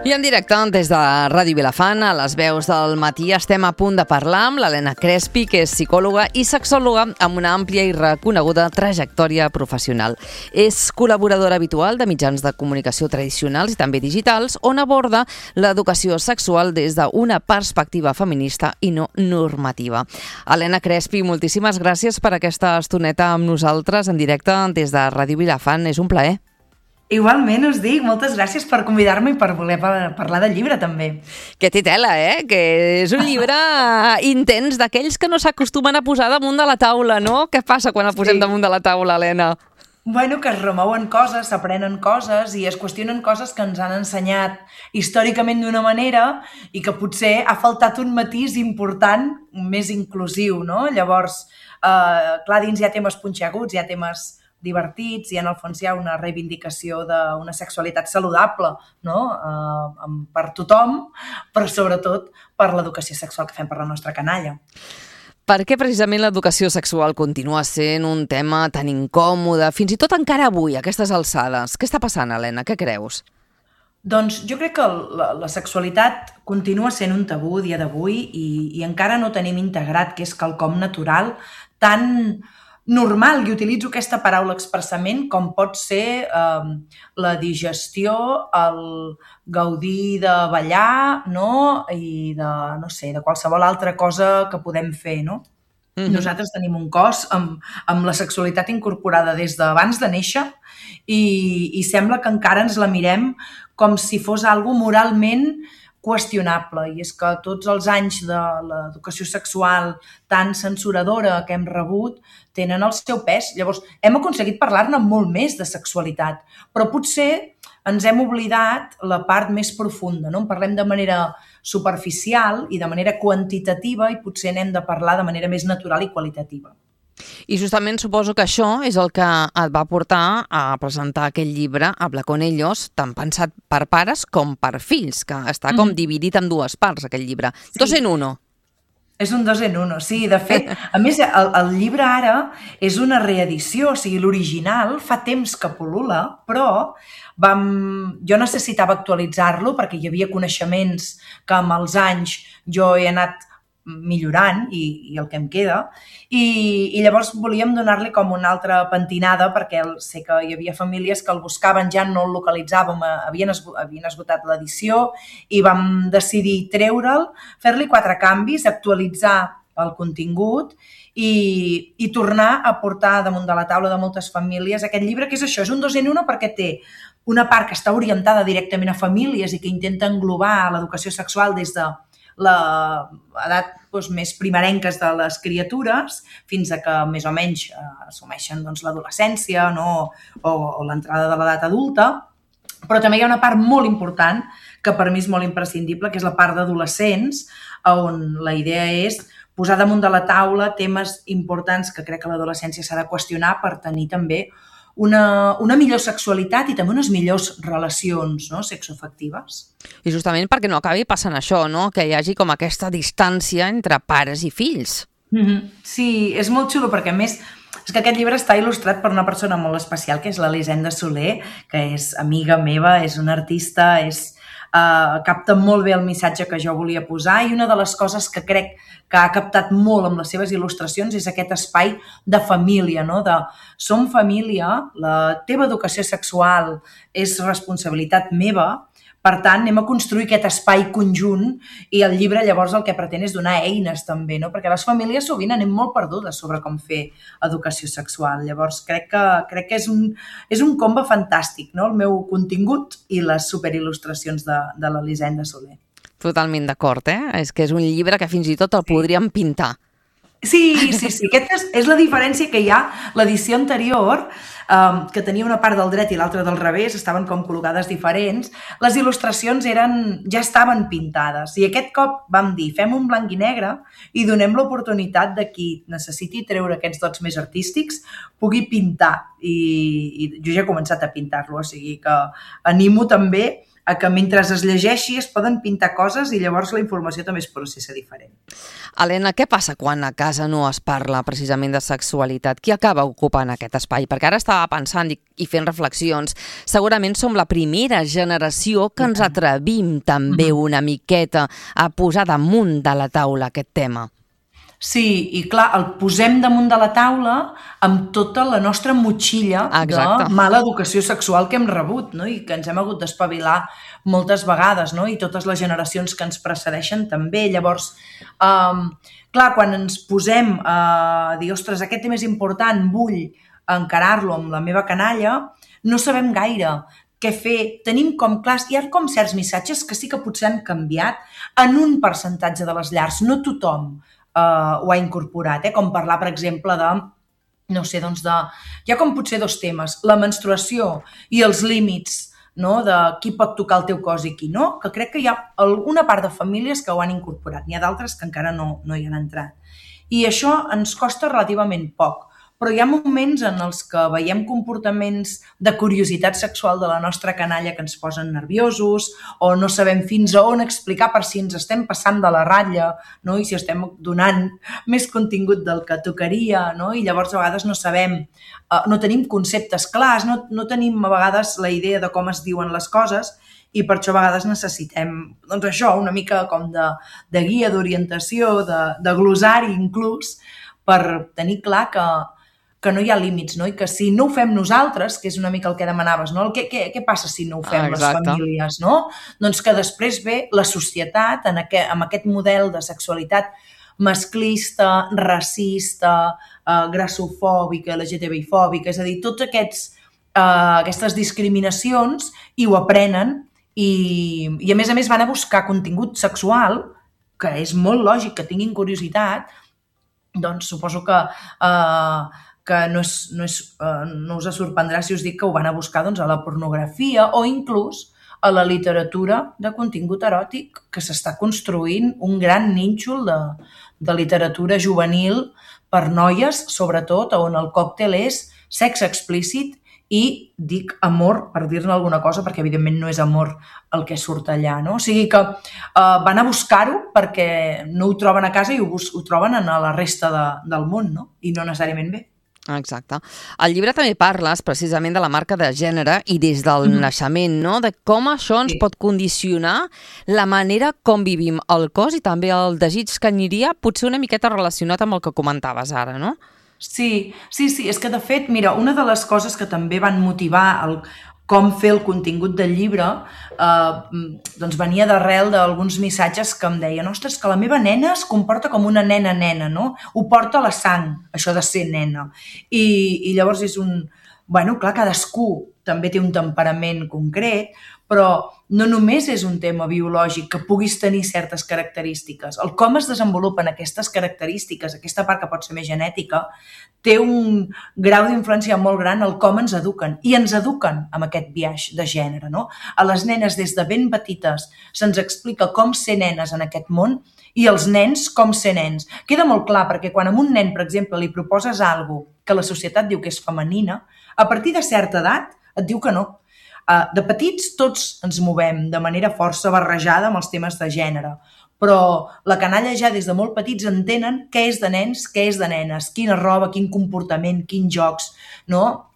I en directe des de Ràdio Vilafant, a les veus del matí, estem a punt de parlar amb l'Helena Crespi, que és psicòloga i sexòloga amb una àmplia i reconeguda trajectòria professional. És col·laboradora habitual de mitjans de comunicació tradicionals i també digitals, on aborda l'educació sexual des d'una perspectiva feminista i no normativa. Helena Crespi, moltíssimes gràcies per aquesta estoneta amb nosaltres en directe des de Ràdio Vilafant. És un plaer. Igualment us dic, moltes gràcies per convidar-me i per voler parlar del llibre també. Que té tela, que és un llibre intens, d'aquells que no s'acostumen a posar damunt de la taula, no? Què passa quan el posem damunt de la taula, Helena? Bueno, que es remouen coses, s'aprenen coses i es qüestionen coses que ens han ensenyat històricament d'una manera i que potser ha faltat un matís important, més inclusiu, no? Llavors, clar, dins hi ha temes punxeguts, hi ha temes divertits i en el fons hi ha una reivindicació d'una sexualitat saludable, no? Per tothom, però sobretot per l'educació sexual que fem per la nostra canalla. Per què precisament l'educació sexual continua sent un tema tan incòmode, fins i tot encara avui, a aquestes alçades? Què està passant, Helena? Què creus? Doncs jo crec que la sexualitat continua sent un tabú a dia d'avui i encara no tenim integrat que és quelcom natural tan normal, i utilitzo aquesta paraula expressament, com pot ser la digestió, el gaudir de ballar, no? I de qualsevol altra cosa que podem fer, no? Nosaltres tenim un cos amb la sexualitat incorporada des d'abans de néixer i sembla que encara ens la mirem com si fos algo moralment qüestionable, i és que tots els anys de l'educació sexual tan censuradora que hem rebut tenen el seu pes. Llavors, hem aconseguit parlar-ne molt més de sexualitat, però potser ens hem oblidat la part més profunda, no? En parlem de manera superficial i de manera quantitativa i potser n'hem de parlar de manera més natural i qualitativa. I justament suposo que això és el que et va portar a presentar aquest llibre, Habla con ellos, tant pensat per pares com per fills, que està com dividit en dues parts, aquest llibre. Sí. 2 en 1. És un 2 en 1, sí. De fet, a més, el llibre ara és una reedició, o sigui, l'original fa temps que pol·lula, però jo necessitava actualitzar-lo perquè hi havia coneixements que amb els anys jo he anat millorant i el que em queda, i llavors volíem donar-li com una altra pentinada perquè sé que hi havia famílies que el buscaven, ja no el localitzàvem, havien esgotat l'edició i vam decidir treure'l, fer-li 4 canvis, actualitzar el contingut i tornar a portar damunt de la taula de moltes famílies aquest llibre, que és això, és un 2 en 1 perquè té una part que està orientada directament a famílies i que intenta englobar l'educació sexual des de l'edat més primerenques de les criatures fins a que més o menys assumeixen l'adolescència o l'entrada de l'edat adulta, però també hi ha una part molt important que per mi és molt imprescindible, que és la part d'adolescents, on la idea és posar damunt de la taula temes importants que crec que l'adolescència s'ha de qüestionar per tenir també una millor sexualitat i també unes millors relacions, no, sexoafectives. I justament perquè no acabi passant això, no? Que hi hagi com aquesta distància entre pares i fills. Sí, és molt xulo perquè a més és que aquest llibre està il·lustrat per una persona molt especial que és l'Elisenda Soler, que és amiga meva, és una artista, capta molt bé el missatge que jo volia posar i una de les coses que crec que ha captat molt amb les seves il·lustracions és aquest espai de família, no? De som família, la teva educació sexual és responsabilitat meva, per tant, anem a construir aquest espai conjunt i el llibre llavors el que pretén és donar eines també, no? Perquè les famílies sovint anem molt perdudes sobre com fer educació sexual. Llavors, crec que és un combo fantàstic, no? El meu contingut i les superil·lustracions de l'Elisenda Soler. Totalment d'acord, És que és un llibre que fins i tot el podríem pintar. Sí. Aquesta és la diferència que hi ha. L'edició anterior, que tenia una part del dret i l'altra del revés, estaven com col·locades diferents, les il·lustracions ja estaven pintades. I aquest cop vam dir, fem un blanc i negre i donem l'oportunitat de qui necessiti treure aquests dots més artístics pugui pintar. I jo ja he començat a pintar-lo, o sigui que animo també a que mentre es llegeixi es poden pintar coses i llavors la informació també es processa diferent. Helena, què passa quan a casa no es parla precisament de sexualitat? Qui acaba ocupant aquest espai? Perquè ara estava estava pensant i fent reflexions, segurament som la primera generació que ens atrevim també una miqueta a posar damunt de la taula aquest tema. Sí, i clar, el posem damunt de la taula amb tota la nostra motxilla de mala educació sexual que hem rebut, no? I que ens hem hagut d'espavilar moltes vegades, no? I totes les generacions que ens precedeixen també. Llavors, clar, quan ens posem a dir, ostres, aquest tema és important, vull encarar-lo amb la meva canalla, no sabem gaire què fer. Tenim com clars, hi ha com certs missatges que sí que potser han canviat en un percentatge de les llars, no tothom ho ha incorporat, com parlar, per exemple, de, no sé, doncs hi ha com potser dos temes, la menstruació i els límits, no?, de qui pot tocar el teu cos i qui no, que crec que hi ha una part de famílies que ho han incorporat, n'hi ha d'altres que encara no hi han entrat. I això ens costa relativament poc, però hi ha moments en els que veiem comportaments de curiositat sexual de la nostra canalla que ens posen nerviosos o no sabem fins a on explicar per si ens estem passant de la ratlla, no? I si estem donant més contingut del que tocaria, no? I llavors a vegades no sabem, no tenim conceptes clars, no tenim a vegades la idea de com es diuen les coses i per això a vegades necessitem, doncs això, una mica com de guia, d'orientació, de glossari inclús, per tenir clar que no hi ha límits, no? I que si no ho fem nosaltres, que és una mica el que demanaves, no? Què passa si no ho fem les famílies, no? Doncs que després ve la societat amb aquest model de sexualitat masclista, racista, grassofòbica, LGTBI-fòbica, és a dir, totes aquestes discriminacions i ho aprenen i a més van a buscar contingut sexual, que és molt lògic que tinguin curiositat, doncs suposo que no us sorprendrà si us dic que ho van a buscar doncs, a la pornografia o inclús a la literatura de contingut eròtic, que s'està construint un gran nínxol de literatura juvenil per noies, sobretot, on el còctel és sexe explícit i dic amor, per dir-ne alguna cosa, perquè evidentment no és amor el que surt allà, no? O sigui que van a buscar-ho perquè no ho troben a casa i ho troben a la resta del món, no? I no necessàriament bé. Exacte. Al llibre també parles precisament de la marca de gènere i des del naixement, no? De com això ens pot condicionar la manera com vivim el cos i també el desig, que aniria potser una miqueta relacionat amb el que comentaves ara, no? Sí, és que de fet, mira, una de les coses que també van motivar com fer el contingut del llibre doncs venia d'arrel d'alguns missatges que em deien, ostres, que la meva nena es comporta com una nena, no? Ho porta a la sang, això de ser nena. I llavors és bueno, clar, cadascú també té un temperament concret, però no només és un tema biològic que puguis tenir certes característiques. El com es desenvolupen aquestes característiques, aquesta part que pot ser més genètica, té un grau d'influència molt gran al com ens eduquen. I ens eduquen amb aquest biaix de gènere, no? A les nenes des de ben petites se'ns explica com ser nenes en aquest món i els nens com ser nens. Queda molt clar perquè quan a un nen, per exemple, li proposes alguna cosa que la societat diu que és femenina, a partir de certa edat et diu que no. De petits tots ens movem de manera força barrejada amb els temes de gènere, però la canalla ja des de molt petits entenen què és de nens, què és de nenes, quina roba, quin comportament, quins jocs, no?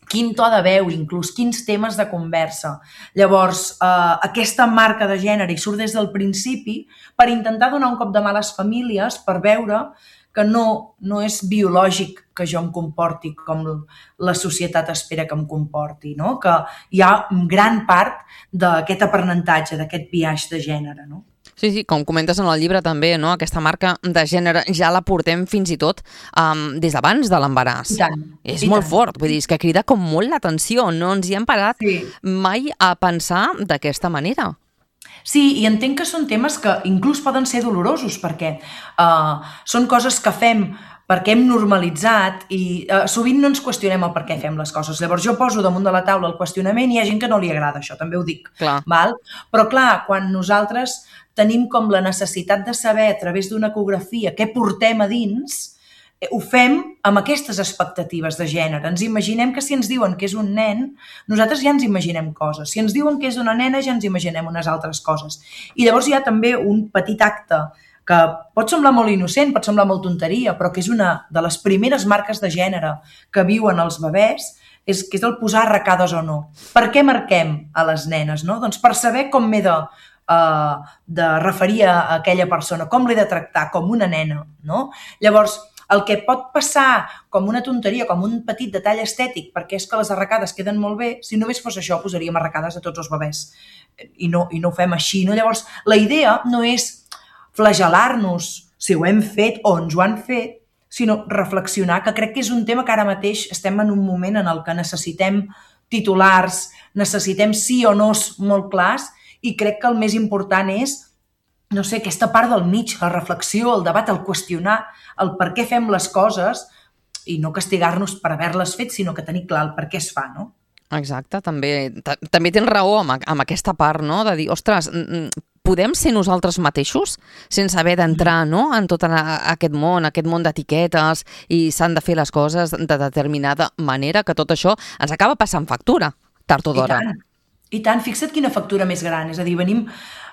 Quin to de veu, inclús, quins temes de conversa. Llavors, aquesta marca de gènere hi surt des del principi per intentar donar un cop de mà a les famílies per veure que no és biològic que jo em comporti com la societat espera que em comporti, no? Que hi ha gran part d'aquest aprenentatge, d'aquest biaix de gènere, no? Sí, com comentes en el llibre també, no? Aquesta marca de gènere ja la portem fins i tot des d'abans de l'embaràs. És molt fort, vull dir, és que crida com molt l'atenció, no ens hi hem parat mai a pensar d'aquesta manera. Sí, i entenc que són temes que inclús poden ser dolorosos perquè són coses que fem perquè hem normalitzat i sovint no ens qüestionem el per què fem les coses. Llavors jo poso damunt de la taula el qüestionament i hi ha gent que no li agrada això, també ho dic. Val? Però clar, quan nosaltres tenim com la necessitat de saber a través d'una ecografia què portem a dins, ho fem amb aquestes expectatives de gènere. Ens imaginem que si ens diuen que és un nen, nosaltres ja ens imaginem coses. Si ens diuen que és una nena, ja ens imaginem unes altres coses. I llavors hi ha també un petit acte que pot semblar molt innocent, pot semblar molt tonteria, però que és una de les primeres marques de gènere que viuen els bebès, que és el posar arracades o no. Per què marquem a les nenes, no? Doncs per saber com m'he de referir a aquella persona, com l'he de tractar, com una nena, no? Llavors, el que pot passar com una tonteria, com un petit detall estètic, perquè és que les arracades queden molt bé, si només fos això, posaríem arracades a tots els bebès. I no ho fem així, no? Llavors, la idea no és flagel·lar-nos si ho hem fet o ens ho han fet, sinó reflexionar, que crec que és un tema que ara mateix estem en un moment en el que necessitem titulars, necessitem sí o no's molt clars, i crec que el més important és, no sé, aquesta part del mig, la reflexió, el debat, el qüestionar, el per què fem les coses i no castigar-nos per haver-les fet, sinó que tenir clar el per què es fa, no? Exacte, també tens raó amb aquesta part, no? De dir, ostres, podem ser nosaltres mateixos sense haver d'entrar, no?, en tot aquest món d'etiquetes, i s'han de fer les coses de determinada manera, que tot això ens acaba passant factura, tard o d'hora. I tant, fixa't quina factura més gran, és a dir,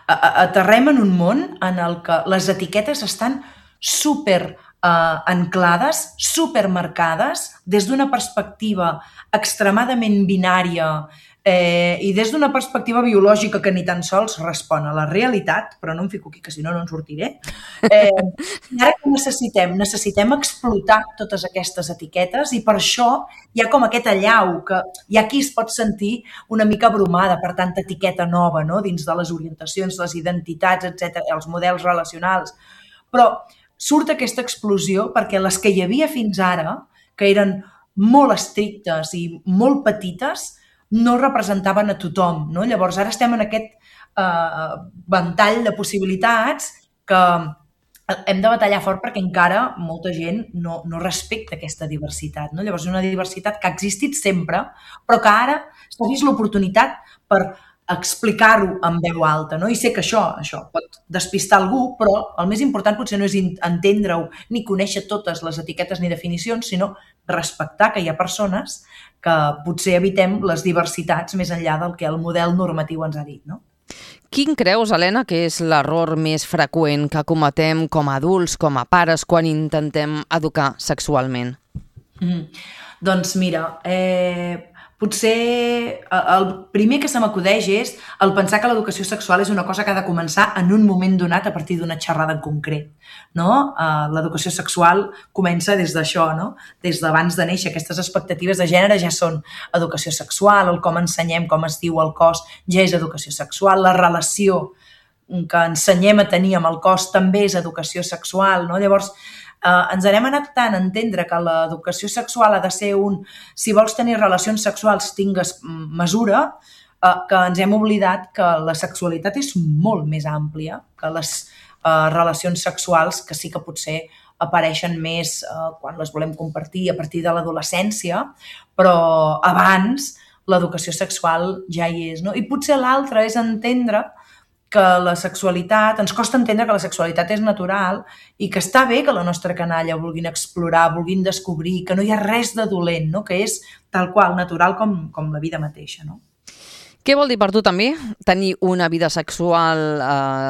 aterrem en un món en el que les etiquetes estan super anclades, supermarcades, des d'una perspectiva extremadament binària i des d'una perspectiva biològica que ni tan sols respon a la realitat, però no em fico aquí que si no en sortiré. I ara que necessitem explotar totes aquestes etiquetes, i per això hi ha com aquest allau que hi ha qui es pot sentir una mica abrumada per tanta etiqueta nova, no?, dins de les orientacions, les identitats, etc., els models relacionals. Però surt aquesta explosió perquè les que hi havia fins ara, que eren molt estrictes i molt petites, no representaven a tothom, no? Llavors ara estem en aquest ventall de possibilitats que hem de batallar fort perquè encara molta gent no respecta aquesta diversitat, no? Llavors és una diversitat que ha existit sempre, però que ara s'ha vist l'oportunitat per explicar-ho en veu alta, no? I sé que això pot despistar algú, però el més important potser no és entendre-ho ni conèixer totes les etiquetes ni definicions, sinó respectar que hi ha persones que potser evitem les diversitats més enllà del que el model normatiu ens ha dit, no? Quin creus, Helena, que és l'error més freqüent que cometem com a adults, com a pares, quan intentem educar sexualment? Doncs mira, potser el primer que se m'acudeix és el pensar que l'educació sexual és una cosa que ha de començar en un moment donat a partir d'una xerrada en concret, no? L'educació sexual comença des d'això, no? Des d'abans de néixer. Aquestes expectatives de gènere ja són educació sexual, el com ensenyem com es diu el cos ja és educació sexual, la relació que ensenyem a tenir amb el cos també és educació sexual, no? Llavors, ens n'hem anat tant a entendre que l'educació sexual ha de ser si vols tenir relacions sexuals tingues mesura, que ens hem oblidat que la sexualitat és molt més àmplia que les relacions sexuals, que sí que potser apareixen més quan les volem compartir a partir de l'adolescència, però abans l'educació sexual ja hi és, no? I potser l'altre és entendre que la sexualitat, ens costa entendre que la sexualitat és natural i que està bé que la nostra canalla vulguin explorar, vulguin descobrir, que no hi ha res de dolent, no? Que és tal qual, natural com la vida mateixa, no? Què vol dir per tu també tenir una vida sexual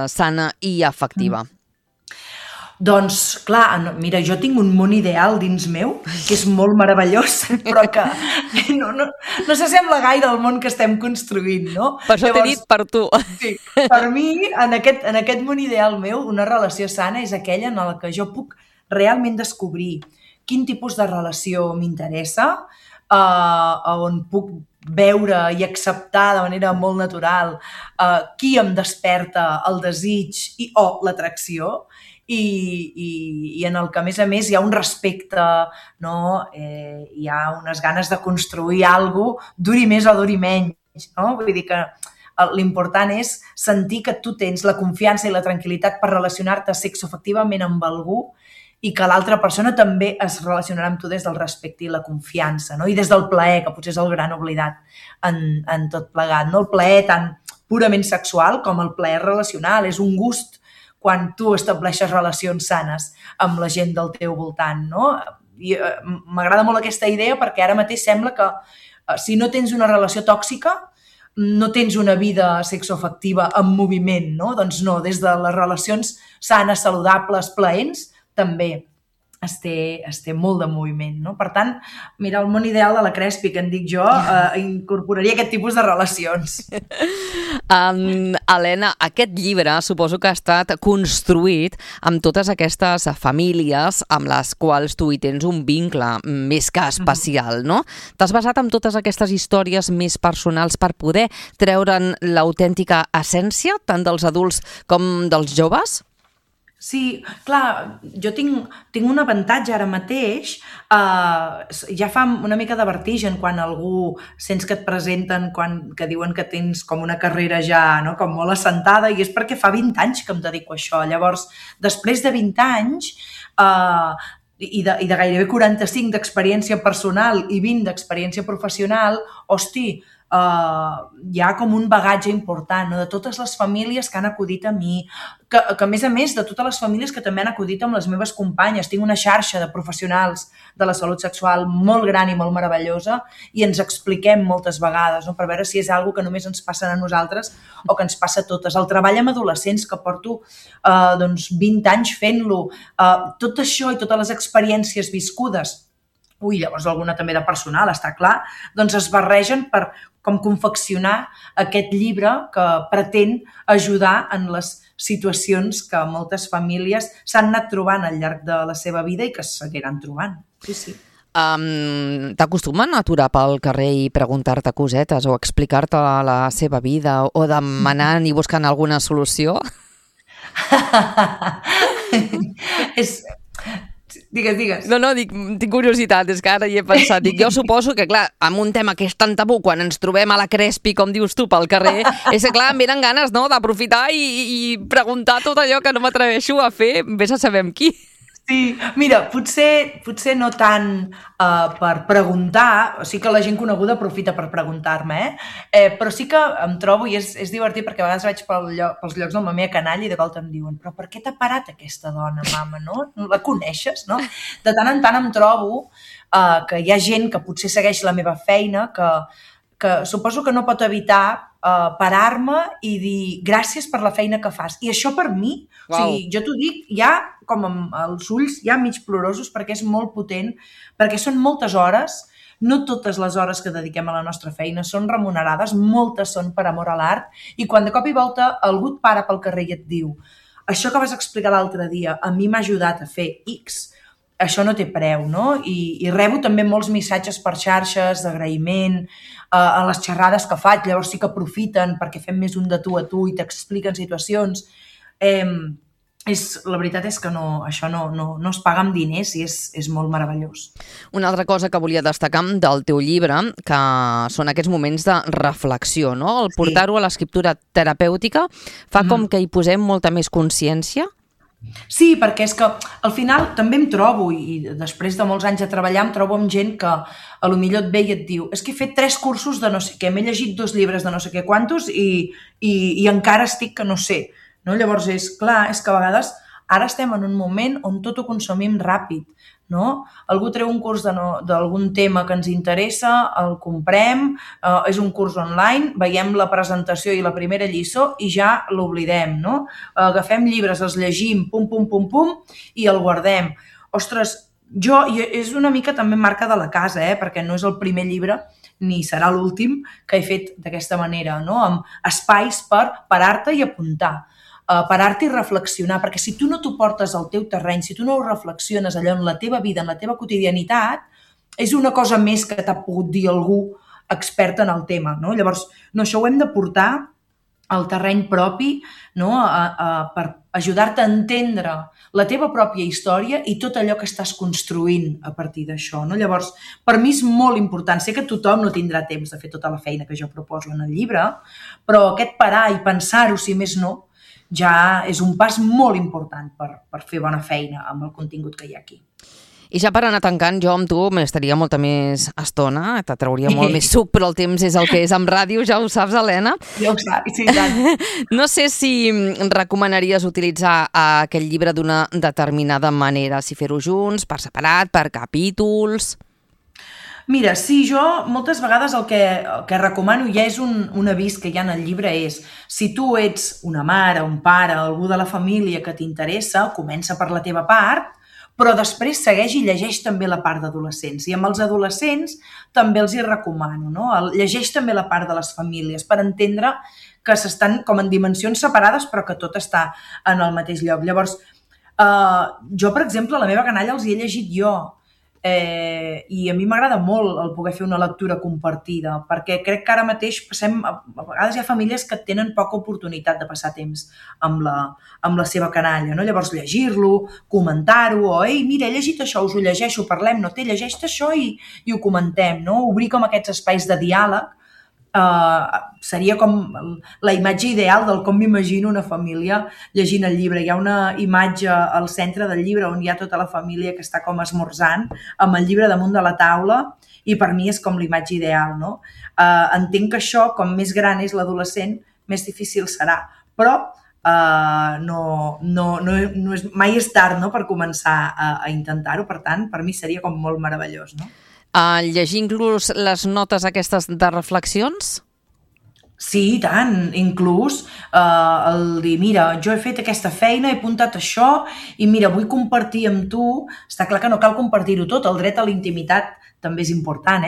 sana i afectiva? Doncs, clar, mira, jo tinc un món ideal dins meu, que és molt meravellós, però que no s'assembla gaire al món que estem construint, no? Per això t'he dit per tu. Sí, per mi, en aquest món ideal meu, una relació sana és aquella en la que jo puc realment descobrir quin tipus de relació m'interessa, on puc veure i acceptar de manera molt natural qui em desperta el desig o l'atracció, i en el que, a més, hi ha un respecte, no? Hi ha unes ganes de construir alguna cosa, duri més o duri menys, no? Vull dir que l'important és sentir que tu tens la confiança i la tranquil·litat per relacionar-te sexoafectivament amb algú i que l'altra persona també es relacionarà amb tu des del respecte i la confiança, no? I des del plaer, que potser és el gran oblidat en tot plegat, no? El plaer tant purament sexual com el plaer relacional, és un gust quan tu estableixes relacions sanes amb la gent del teu voltant, no? I m'agrada molt aquesta idea perquè ara mateix sembla que si no tens una relació tòxica, no tens una vida sexoafectiva en moviment, no? Doncs no, des de les relacions sanes, saludables, plaents, també es té molt de moviment, no? Per tant, mira, el món ideal de la Crespi, que en dic jo, incorporaria aquest tipus de relacions. Helena, aquest llibre suposo que ha estat construït amb totes aquestes famílies amb les quals tu hi tens un vincle més que especial, no? T'has basat en totes aquestes històries més personals per poder treure'n l'autèntica essència, tant dels adults com dels joves? Sí, clar, jo tinc un avantatge ara mateix, ja fa una mica de vertigen quan algú sents que et presenten, que diuen que tens com una carrera ja, no?, com molt assentada, i és perquè fa 20 anys que em dedico a això. Llavors, després de 20 anys i de gairebé 45 d'experiència personal i 20 d'experiència professional, hosti, hi ha com un bagatge important, no?, de totes les famílies que han acudit a mi, que a més, de totes les famílies que també han acudit amb les meves companyes. Tinc una xarxa de professionals de la salut sexual molt gran i molt meravellosa i ens expliquem moltes vegades, no?, per veure si és una cosa que només ens passa a nosaltres o que ens passa a totes. El treball amb adolescents, que porto 20 anys fent-lo, tot això i totes les experiències viscudes, llavors alguna també de personal, està clar, doncs es barregen per com confeccionar aquest llibre que pretén ajudar en les situacions que moltes famílies s'han anat trobant al llarg de la seva vida i que es seguiran trobant. Sí. T'acostumen a aturar pel carrer i preguntar-te cosetes o explicar-te la seva vida o demanant i buscant alguna solució? Digues. No, tinc curiositat, és que ara hi he pensat. Jo suposo que, clar, amb un tema que és tan tabú, quan ens trobem a la Crespi, com dius tu, pel carrer, és que, clar, em venen ganes, no?, d'aprofitar i preguntar tot allò que no m'atreveixo a fer, vés a saber amb qui. Sí, mira, potser no tant per preguntar, sí que la gent coneguda aprofita per preguntar-me, però sí que em trobo, i és divertit perquè a vegades vaig pels llocs del Mamea Canalla i de volta em diuen: però per què t'ha parat aquesta dona, mama, no? La coneixes, no? De tant en tant em trobo que hi ha gent que potser segueix la meva feina, que suposo que no pot evitar parar-me i dir gràcies per la feina que fas. I això per mi, o sigui, jo t'ho dic, ja com amb els ulls ja mig plorosos, perquè és molt potent, perquè són moltes hores, no totes les hores que dediquem a la nostra feina són remunerades, moltes són per amor a l'art, i quan de cop i volta algú et para pel carrer i et diu: això que vas explicar l'altre dia a mi m'ha ajudat a fer X, això no té preu, no? I rebo també molts missatges per xarxes d'agraïment a les xerrades que faig, llavors sí que aprofiten perquè fem més un de tu a tu i t'expliquen situacions. La veritat és que això no es paga amb diners i és molt meravellós. Una altra cosa que volia destacar del teu llibre, que són aquests moments de reflexió, no? El portar-ho a l'escriptura terapèutica fa com que hi posem molta més consciència? Sí, perquè és que al final també em trobo, i després de molts anys de treballar, em trobo amb gent que a lo millor et ve i et diu: és que he fet 3 cursos de no sé què, m'he llegit 2 llibres de no sé què quantos i encara estic que no sé. No? Llavors és clar, és que a vegades ara estem en un moment on tot ho consumim ràpid, no? Algú treu un curs d'algun tema que ens interessa, el comprem, és un curs online, veiem la presentació i la primera lliçó i ja l'oblidem, no? Agafem llibres, els llegim, pum, i el guardem. Ostres, és una mica també marca de la casa, perquè no és el primer llibre ni serà l'últim que he fet d'aquesta manera, no? Amb espais per parar-te i apuntar, parar-te i reflexionar, perquè si tu no t'ho portes al teu terreny, si tu no ho reflexiones allò en la teva vida, en la teva quotidianitat, és una cosa més que t'ha pogut dir algú expert en el tema, no? Llavors, això ho hem de portar al terreny propi, no? Per ajudar-te a entendre la teva pròpia història i tot allò que estàs construint a partir d'això, no? Llavors, per mi és molt important. Sé que tothom no tindrà temps de fer tota la feina que jo proposo en el llibre, però aquest parar i pensar-ho, si més no, ja és un pas molt important per fer bona feina amb el contingut que hi ha aquí. I ja per anar tancant, jo amb tu m'estaria molta més estona, te trauria molt més suc, però el temps és el que és amb ràdio, ja ho saps, Helena? Ja ho saps, sí, tant. No sé si recomanaries utilitzar aquest llibre d'una determinada manera, si fer-ho junts, per separat, per capítols... Mira, sí, jo moltes vegades el que recomano, ja és un avís que hi ha en el llibre, és si tu ets una mare, un pare, algú de la família que t'interessa, comença per la teva part, però després segueix i llegeix també la part d'adolescents. I amb els adolescents també els hi recomano, no? Llegeix també la part de les famílies per entendre que s'estan com en dimensions separades però que tot està en el mateix lloc. Llavors, jo, per exemple, la meva canalla els hi he llegit jo, i a mi m'agrada molt el poder fer una lectura compartida, perquè crec que ara mateix a vegades hi ha famílies que tenen poca oportunitat de passar temps amb la seva canalla, no? Llavors llegir-lo, comentar-ho, o ei, mira, he llegit això, us ho llegeixo, parlem, no té, llegeix-te això i ho comentem, no? Obrir com aquests espais de diàleg seria com la imatge ideal del com m'imagino una família llegint el llibre. Hi ha una imatge al centre del llibre on hi ha tota la família que està com esmorzant amb el llibre damunt de la taula i per mi és com l'imatge ideal, no? Entenc que això, com més gran és l'adolescent, més difícil serà, però mai és tard, no?, per començar a intentar-ho. Per tant, per mi seria com molt meravellós, no? Llegir inclús les notes aquestes de reflexions? Sí, i tant, inclús el dir, mira, jo he fet aquesta feina, he apuntat això i mira, vull compartir amb tu. Està clar que no cal compartir-ho tot, el dret a la intimitat també és important,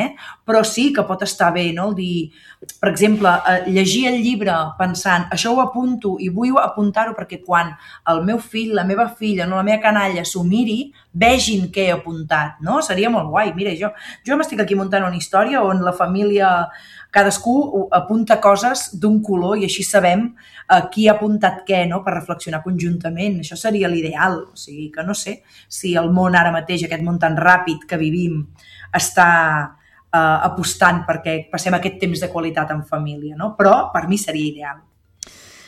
però sí que pot estar bé, no? El dir, per exemple, llegir el llibre pensant, això ho apunto i vull apuntar-ho perquè quan el meu fill, la meva filla, no, la meva canalla s'ho miri, vegin què he apuntat, no? Seria molt guai. Mira, jo m'estic aquí muntant una història on la família, cadascú apunta coses d'un color i així sabem qui ha apuntat què, no?, per reflexionar conjuntament. Això seria l'ideal. O sigui, que no sé si el món ara mateix, aquest món tan ràpid que vivim, està apostant perquè passem aquest temps de qualitat en família, no? Però per mi seria ideal.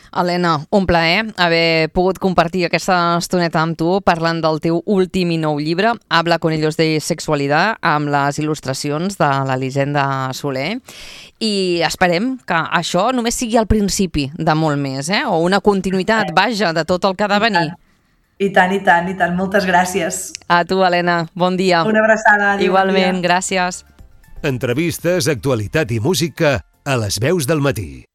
Helena, un plaer haver pogut compartir aquesta estoneta amb tu parlant del teu últim i nou llibre, Habla con ellos de sexualidad, amb les il·lustracions de l'Elisenda Soler. I esperem que això només sigui el principi de molt més, o una continuïtat, vaja, de tot el que ha de venir. I tant, i tant, i tant. Moltes gràcies. A tu, Helena. Bon dia. Una abraçada. Igualment, gràcies. Entrevistes, actualitat i música a Les Veus del Matí.